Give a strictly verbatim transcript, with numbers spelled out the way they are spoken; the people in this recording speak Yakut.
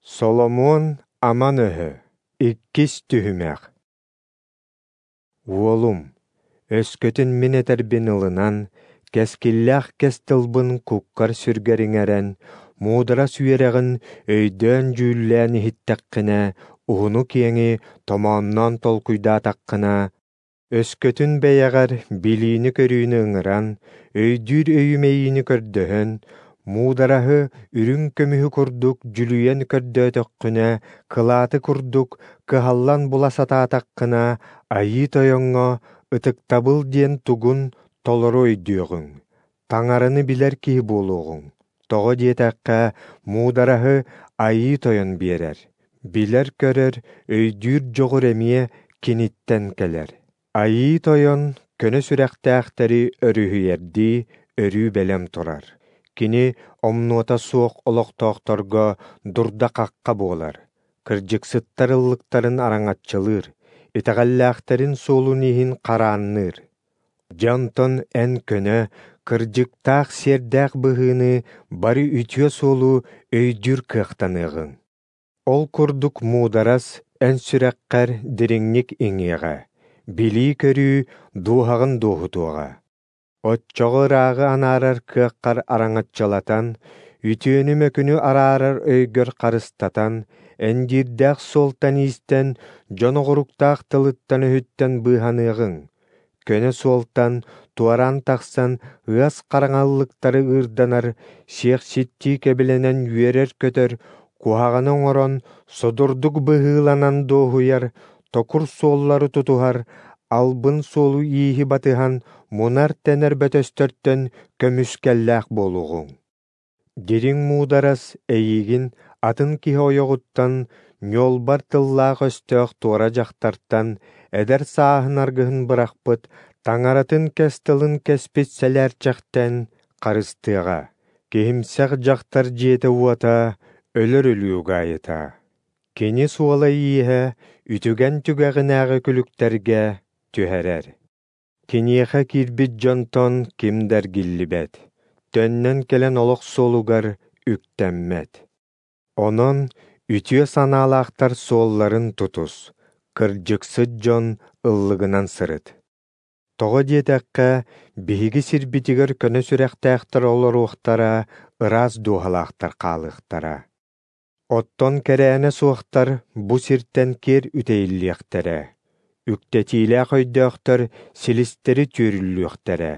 Соломуон аман өһө, иккис түһүмэх. Уолум, өскөтүн мин этэрбин ылынан, кэскиллээх кэс тылбын куккар-сүргэр иҥэрэн, муударас үөрэҕин өйдөөн-дьүүллээн иһиттэххинэ, уһуну-киэҥи томоонноон толкуйдаатаххына, өскөтүн бэйэҕэр билиини-көрүүнү ыҥыран, өйдүүр өйү-мэйиини көрдөһөн, муудараһы үрүҥ көмүһү курдук дьүлүйэн көрдөөтөххүнэ, кылааты курдук кыһаллан була сатаатаххына, Айыы Тойоҥҥо ытыктабыл диэн тугун толору өйдүөҕүҥ, Таҥараны билэр киһи буолуоҕуҥ. Тоҕо диэтэххэ, муудараһы Айыы Тойон биэрэр, билэр-көрөр, өйдүүр дьоҕур эмиэ киниттэн кэлэр. Айыы Тойон көнө сүрэхтээхтэри өрүһүйэрдии өрүү бэлэм турар. Кини омнуота суох олохтоохторго дурда-хахха буолар, кырдьыксыттар ыллыктарын араҥаччылыыр, итэҕэллээхтэрин суолун иһин хараанныыр. Дьэ онтон эн көнө, кырдьыктаах сиэрдээх быһыыны бары үтүө суолу өйдүүр кыахтаныаҕыҥ. Ол курдук муударас эн сүрэххэр дириҥник иҥиэҕэ, билии-көрүү дууһаҕын дуоһутуоҕа. Оччоҕо ырааҕы анаарар кыаххар араҥаччылатан, үтүөнү-мөкүнү араарар өйгөр харыстатан, эндиирдээх суолтан иистэн, дьон оҕуруктаах тылыттан-өһүттэн быыһаныаҕыҥ. Көнө суолтан туораан тахсан ыас хараҥаллыктары ыырданар, сиэхситтии кэбилэнэн үөрэр-көтөр, куһаҕаны оҥорон, содурдук быһыыланан дуоһуйар, токур суоллары тутуһар, албын суолу-ииһи батыһан мунар-тэнэр бөтөстөртөн көмүскэллээх буолуоҕуҥ. Дириҥ муударас эйиигин атын киһи ойоҕуттан, ньуолбар тыллаах өстөөх туора дьахтартан, эдэр сааһын аргыһын бырахпыт, таҥаратын кэс тылын кэспит сэлээрчэхтэн харыстыаҕа. Киһимсэх дьахтар дьиэтэ-уота өлөр өлүү угаайыта. Кини суола-ииһэ үтүгэн түгэҕинээҕи күлүктэргэ түһэрэр. Киниэхэ киирбит дьонтон ким да эргиллибэт, төннөн кэлэн олох суолугар үктэммэт. Онон үтүө санаалаахтар суолларын тутус, кырдьыксыт дьон ыллыгынан сырыт. Тоҕо диэтэххэ, биһиги сирбитигэр көнө сүрэхтээхтэр олоруохтара, ыраас дууһалаахтар хаалыахтара. Оттон кэрээнэ суохтар бу сиртэн киэр үтэйиллиэхтэрэ, үктэтиилээх өйдөөхтөр силистэри түөрүллүөхтэрэ.